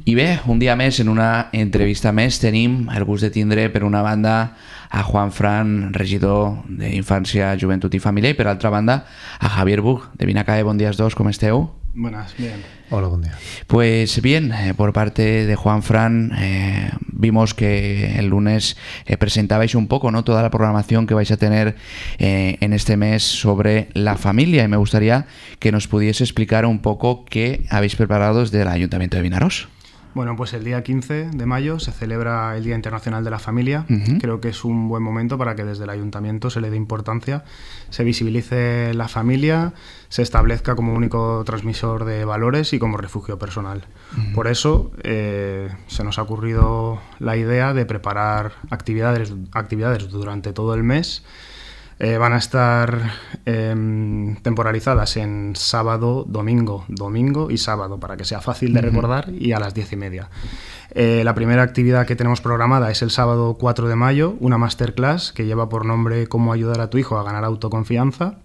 I bé, un dia més, en una entrevista més, tenim el gust de tindre, per una banda, a Juan Fran, regidor d'Infància, Joventut i Família, i per altra banda, a Javier Buch, de Vinacae. Bon dia als dos, ¿cómo esteu? Buenas, bien. Hola, buen día. Pues bien, por parte de Juan Fran, vimos que el lunes presentabais un poco, ¿no?, toda la programación que vais a tener en este mes sobre la familia, y me gustaría que nos pudiese explicar un poco qué habéis preparado desde el Ayuntamiento de Vinaròs. Bueno, pues el día 15 de mayo se celebra el Día Internacional de la Familia. Creo que es un buen momento para que desde el Ayuntamiento se le dé importancia, se visibilice la familia, se establezca como único transmisor de valores y como refugio personal. Por eso se nos ha ocurrido la idea de preparar actividades durante todo el mes. Van a estar temporalizadas en sábado, domingo y sábado, para que sea fácil de recordar, y a las 10:30. La primera actividad que tenemos programada es el sábado 4 de mayo, una masterclass que lleva por nombre Cómo ayudar a tu hijo a ganar autoconfianza.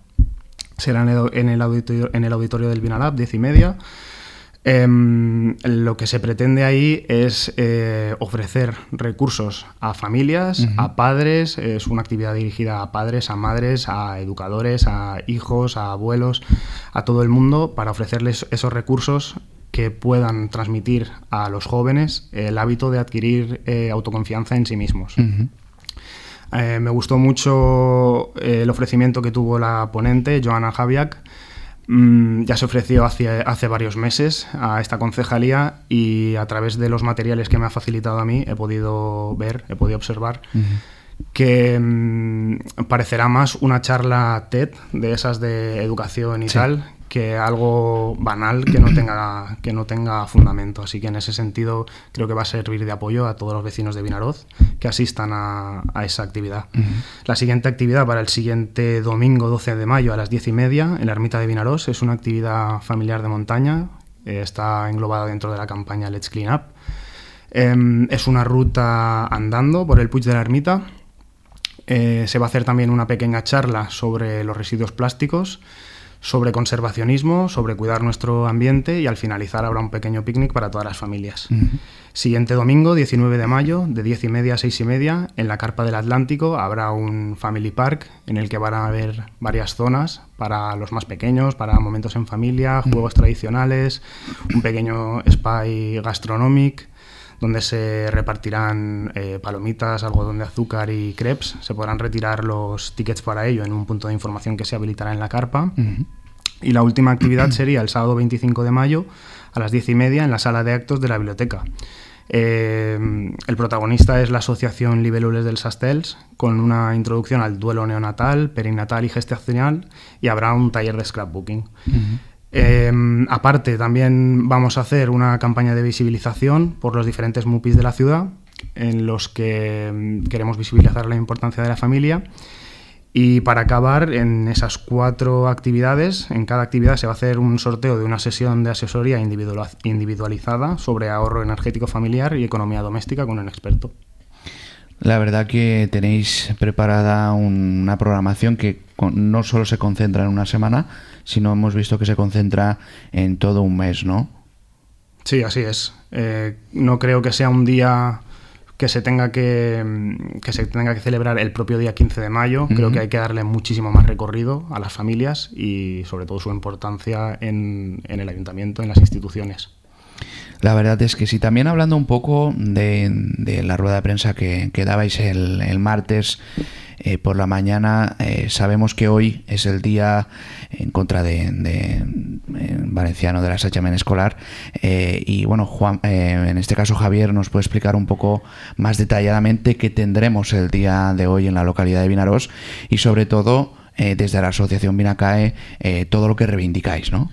Será en el auditorio del Vinalab, 10:30. Lo que se pretende ahí es ofrecer recursos a familias, a padres. Es una actividad dirigida a padres, a madres, a educadores, a hijos, a abuelos, a todo el mundo, para ofrecerles esos recursos que puedan transmitir a los jóvenes el hábito de adquirir autoconfianza en sí mismos. Me gustó mucho el ofrecimiento que tuvo la ponente, Joana Javiak. Ya se ofreció hace varios meses a esta concejalía, y a través de los materiales que me ha facilitado a mí he podido observar que parecerá más una charla TED de esas de educación y tal, que algo banal que no tenga fundamento. Así que en ese sentido creo que va a servir de apoyo a todos los vecinos de Vinaròs que asistan a esa actividad. La siguiente actividad, para el siguiente domingo 12 de mayo a las 10:30 en la ermita de Vinaròs, es una actividad familiar de montaña. Está englobada dentro de la campaña Let's Clean Up. Es una ruta andando por el Puig de la Ermita. Se va a hacer también una pequeña charla sobre los residuos plásticos, sobre conservacionismo, sobre cuidar nuestro ambiente, y al finalizar habrá un pequeño picnic para todas las familias. Siguiente domingo, 19 de mayo, de 10:30 a 6:30, en la Carpa del Atlántico habrá un Family Park en el que van a haber varias zonas para los más pequeños, para momentos en familia, juegos tradicionales, un pequeño spa gastronómico donde se repartirán palomitas, algodón de azúcar y crepes. Se podrán retirar los tickets para ello en un punto de información que se habilitará en la carpa. Y la última actividad sería el sábado 25 de mayo a las 10:30 en la sala de actos de la biblioteca. El protagonista es la asociación Libèl·lules dels Estels, con una introducción al duelo neonatal, perinatal y gestacional, y habrá un taller de scrapbooking. Aparte, también vamos a hacer una campaña de visibilización por los diferentes MUPIs de la ciudad, en los que queremos visibilizar la importancia de la familia. Y para acabar, en esas 4 actividades, en cada actividad se va a hacer un sorteo de una sesión de asesoría individualizada sobre ahorro energético familiar y economía doméstica con un experto. La verdad que tenéis preparada una programación que no solo se concentra en una semana, sino hemos visto que se concentra en todo un mes, ¿no? Sí, así es. No creo que sea un día que se tenga que celebrar el propio día 15 de mayo. Creo que hay que darle muchísimo más recorrido a las familias y sobre todo su importancia en el ayuntamiento, en las instituciones. La verdad es que sí. También hablando un poco de la rueda de prensa que dabais el martes por la mañana, sabemos que hoy es el día en contra de valenciano de l'assetjament escolar, y bueno, Juan, en este caso Javier nos puede explicar un poco más detalladamente qué tendremos el día de hoy en la localidad de Vinaròs, y sobre todo desde la asociación Vinacae todo lo que reivindicáis, ¿no?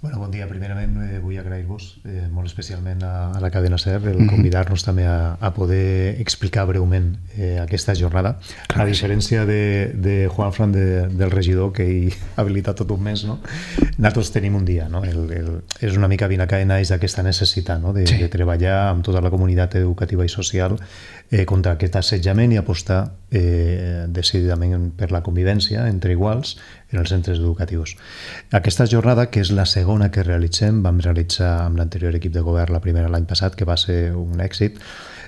Bueno, bon dia. Primerament vull agrair-vos molt especialment a la cadena SER el convidar-nos també a poder explicar breument aquesta jornada. A diferència de Juan Fran, del regidor, que hi ha habilitat tot un mes, no? Nosaltres tenim un dia, no? És una mica Vinacae naix d'aquesta necessitat, no? de treballar amb tota la comunitat educativa i social contra aquest assetjament i apostar decididament per la convivència entre iguals, en els centres educatius. Aquesta jornada, que és la segona que realitzem, vam realitzar amb l'anterior equip de govern la primera l'any passat, que va ser un èxit,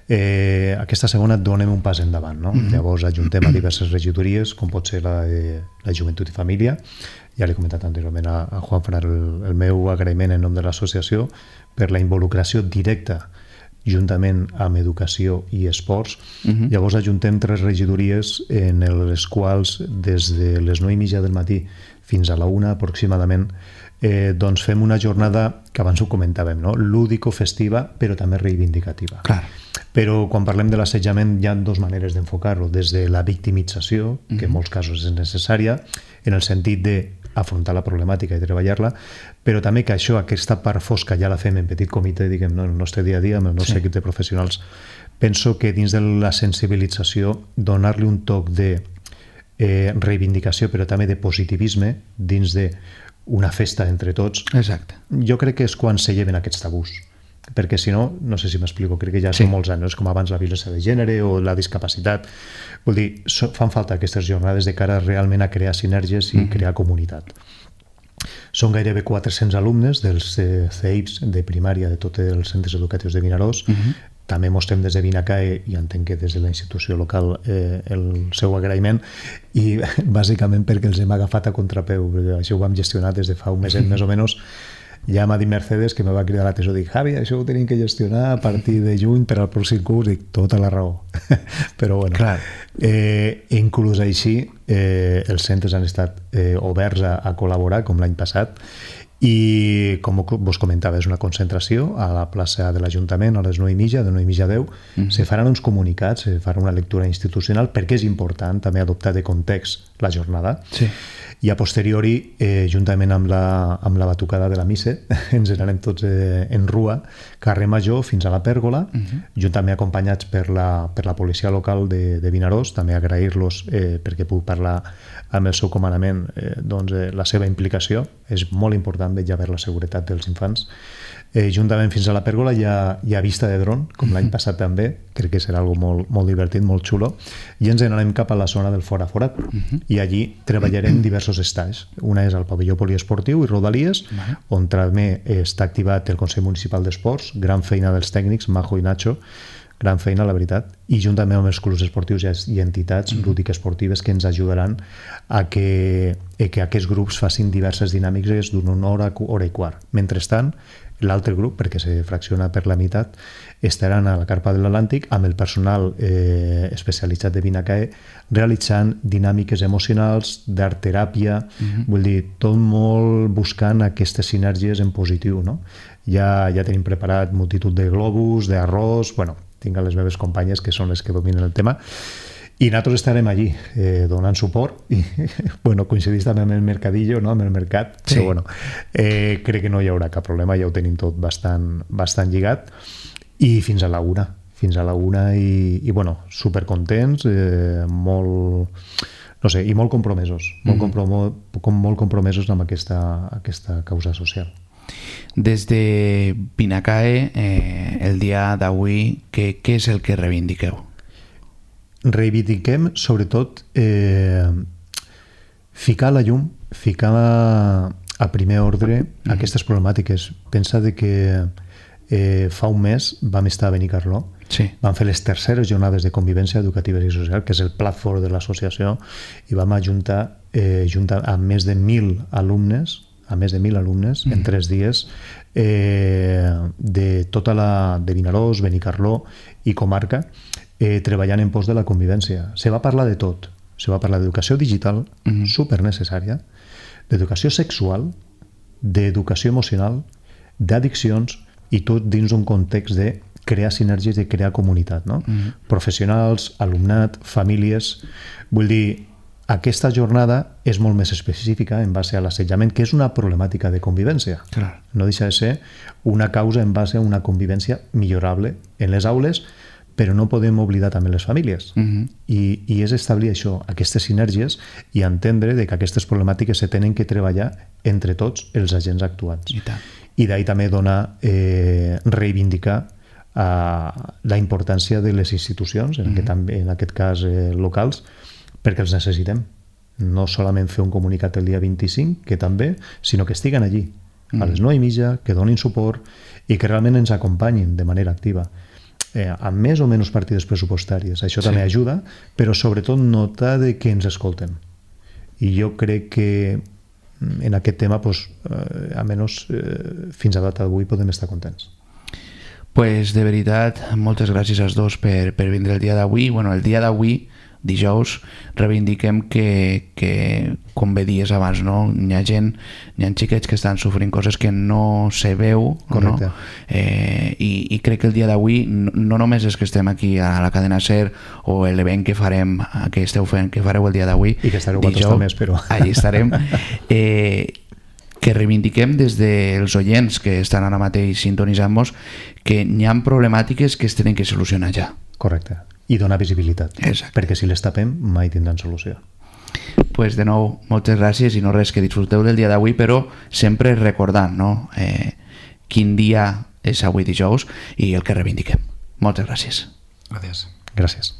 aquesta segona donem un pas endavant, no? Llavors ajuntem a diverses regidories, com pot ser la de la Joventut i Família. Ja l'he comentat anteriorment a Juan Fran el meu agraïment en nom de l'associació per la involucració directa juntament amb educació i esports. Llavors ajuntem 3 regidories en les quals des de les 9:30 del matí fins a la 1 aproximadament doncs fem una jornada que abans ho comentàvem, no? Lúdico-festiva però també reivindicativa. Clar. Però quan parlem de l'assetjament hi ha 2 maneres d'enfocar-lo, des de la victimització, que en molts casos és necessària, en el sentit d'afrontar la problemàtica i treballar-la, però també que això, aquesta part fosca ja la fem en petit comitè, diguem, no, en el nostre dia a dia, amb el nostre equip de professionals. Penso que dins de la sensibilització donar-li un toc de reivindicació però també de positivisme dins d'una festa entre tots. Exacte. Jo crec que és quan se lleven aquests tabús, perquè si no, no sé si m'explico, crec que ja són molts anys, com abans la violència de gènere o la discapacitat. Vull dir, fan falta aquestes jornades de cara realment a crear sinergies i crear comunitat. Són gairebé 400 alumnes dels CEIPs de primària de tots els centres educatius de Vinaròs. També mostrem des de Vinacae, i entenc que des de la institució local, el seu agraïment, i bàsicament perquè els hem agafat a contrapeu, perquè això ho vam gestionar des de fa un mes més o menys. Ja m'ha dit Mercedes, que me va cridar l'atenció, dic, Javi, això ho tenim que gestionar a partir de juny per al pròxim curs, dic, tota la raó. Però bueno, inclús així els centres han estat oberts a col·laborar, com l'any passat, i com vos comentava, és una concentració a la plaça de l'Ajuntament a les 9:30, de 9:30 a 10. Se faran uns comunicats, se farà una lectura institucional, perquè és important també adoptar de context la jornada. Sí. I a posteriori, juntament amb la batucada de la missa, ens n'anem tots en rua, carrer Major fins a la Pèrgola, juntament acompanyats per la policia local de Vinaròs, també agrair-los perquè puc parlar amb el seu comandament, la seva implicació. És molt important vetllar per la seguretat dels infants. Juntament fins a la Pèrgola hi ha vista de dron, com l'any passat també, crec que serà algo molt divertit, molt xulo, i ens n'anem cap a la zona del Fora Forat, i allí treballarem diversos estais. Una és el pavelló poliesportiu i Rodalies, on també està activat el Consell Municipal d'Esports, gran feina dels tècnics, Majo i Nacho, gran feina, la veritat, i juntament amb els clubs esportius i entitats lúdiques esportives que ens ajudaran a que aquests grups facin diverses dinàmiques d'una hora i quart. Mentrestant, l'altre grup, perquè se fracciona per la meitat, estaran a la Carpa de l'Atlàntic amb el personal especialitzat de Vinacae realitzant dinàmiques emocionals, d'art teràpia, vull dir, tot molt buscant aquestes sinergies en positiu, no? Ja tenim preparat multitud de globus, d'arròs, bueno, tinc a les meves companyes que són les que dominen el tema, i nosaltres estarem allí donant suport i coincidís també amb el mercadillo, no? Amb el mercat, però bueno, crec que no hi haurà cap problema, ja ho tenim tot bastant lligat, i fins a la una i bueno, supercontents, molt compromesos, molt compromesos amb aquesta causa social. Des de Vinacae, el dia d'avui, què és el que reivindiqueu? Reivindiquem, sobretot, ficar a la llum, ficar a primer ordre aquestes problemàtiques. Pensa que fa un mes vam estar a Benicarló, vam fer les terceres jornades de convivència educativa i social, que és el platform de l'associació, i vam ajuntar a més de 1.000 alumnes, en 3 dies, de tota de Vinaròs, Benicarló i comarca, treballant en pos de la convivència. Se va parlar de tot. Se va parlar d'educació digital, supernecessària, d'educació sexual, d'educació emocional, d'addiccions, i tot dins un context de crear sinergies, de crear comunitat, no? Professionals, alumnat, famílies. Vull dir, aquesta jornada és molt més específica en base a l'assetjament, que és una problemàtica de convivència. Clar. No deixa de ser una causa en base a una convivència millorable en les aules, però no podem oblidar també les famílies. I és establir això, aquestes sinergies, i entendre que aquestes problemàtiques se tenen que treballar entre tots els agents actuants. I d'ahir també reivindicar la importància de les institucions, en aquest cas locals, perquè els necessitem. no solament fer un comunicat el dia 25, que també, sinó que estiguen allí, a les 9:30, que donin suport i que realment ens acompanyin de manera activa. Amb més o menys partides pressupostàries. Això també ajuda, però sobretot notar de que ens escolten. I jo crec que en aquest tema, almenys fins a data d'avui, podem estar contents. Pues de veritat, moltes gràcies als dos per vindre el dia d'avui. Bueno, el dia d'avui, dijous, reivindiquem que com bé dies abans, no? Hi ha gent, hi ha xiquets que estan sofrint coses que no se veu, no? I crec que el dia d'avui no només és que estem aquí a la cadena SER o l'event que farem, que esteu fent, que fareu el dia d'avui, i que estareu vosaltres també, espero. Allí estarem, que reivindiquem des dels oients que estan ara mateix sintonitzant-nos que hi ha problemàtiques que es tenen que solucionar ja. Correcte. I donar visibilitat. Exacte. Perquè si les tapem mai tindran solució. Pues de nou, moltes gràcies i no res, que disfruteu del dia d'avui, però sempre recordant, no? Quin dia és avui dijous i el que reivindiquem. Moltes gràcies. Gràcies. Gràcies.